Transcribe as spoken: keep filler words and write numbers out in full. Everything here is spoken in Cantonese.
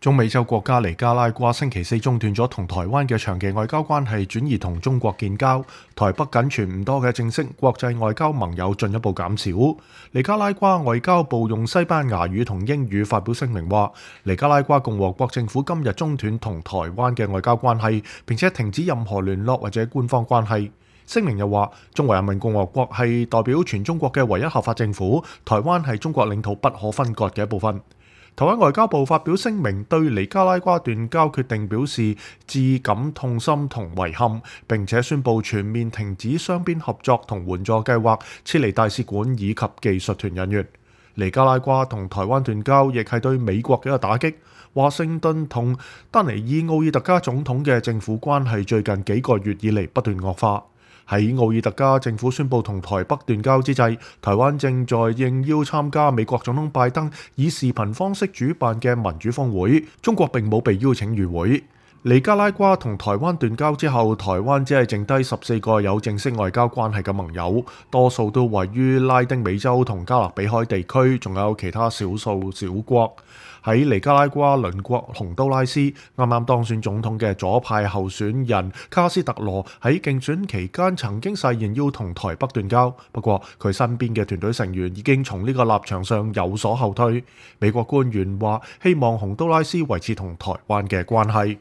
中美洲國家尼加拉瓜星期四中斷咗同台灣嘅長期外交關係，轉移同中國建交。台北僅存唔多嘅正式國際外交盟友進一步減少。尼加拉瓜外交部用西班牙語同英語發表聲明話，尼加拉瓜共和國政府今日中斷同台灣嘅外交關係，並且停止任何聯絡或者官方關係。聲明又話，中華人民共和國係代表全中國嘅唯一合法政府，台灣係中國領土不可分割嘅一部分。台灣外交部發表聲明，對尼加拉瓜斷交決定表示致感痛心同遺憾，並且宣布全面停止雙邊合作同援助計劃，撤離大使館以及技術團人員。尼加拉瓜同台灣斷交亦係對美國嘅一個打擊。華盛頓同丹尼爾奧爾特加總統嘅政府關係最近幾個月以嚟不斷惡化。喺奧爾特加政府宣布同台北斷交之際，台灣正在應邀參加美國總統拜登以視頻方式主辦嘅民主峰會，中國並冇被邀請與會。尼加拉瓜同台灣斷交之後，台灣只係剩低十四個有正式外交關係嘅盟友，多數都位於拉丁美洲同加勒比海地區，仲有其他少數小國。喺尼加拉瓜鄰國洪都拉斯，啱啱當選總統嘅左派候選人卡斯特羅喺競選期間曾經誓言要同台北斷交，不過佢身邊嘅團隊成員已經從呢個立場上有所後退。美國官員話希望洪都拉斯維持同台灣嘅關係。